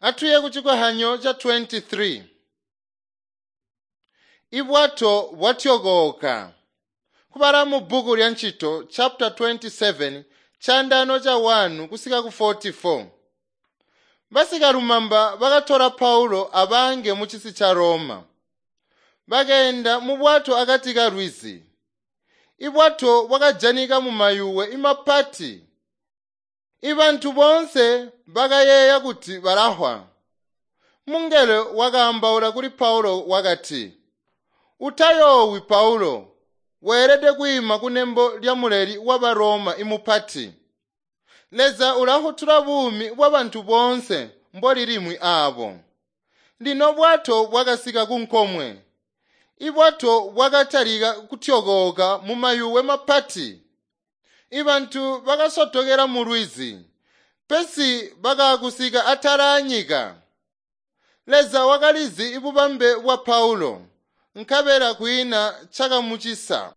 Atuye ku cikohanyo ca 23. Ibwato bwatyokooka. Kubala mu bbuku lya Ncito chapter 27 candano ca 1 kusika ku 44. Basikalumamba bakatola Paulo abange mu cisi ca Roma. Bakeenda mu bwato akati ka lwizi. Ibwato bwakajanika mu mayuwe imapati. Ibantu boonse bakayeeya kuti balahwa. Mungelo wakaambaula kuli Paulo wakati, "Utayoowi Paulo, weelede kwiima kunembo lya muleli wa Roma imupati. Leza ulafutula buumi bwabantu boonse mboli limwi aabo." Lino bwato bwakasika ku nkomwe. Ibwato bwakatalika kutyokooka mu mayuwe mapati. Ibantu bakasotokela mu lwizi, pesi bakakusika atala anyika. Leza wakalizi ibubambe bwa Paulo, nkabela kwiina cakamucisa.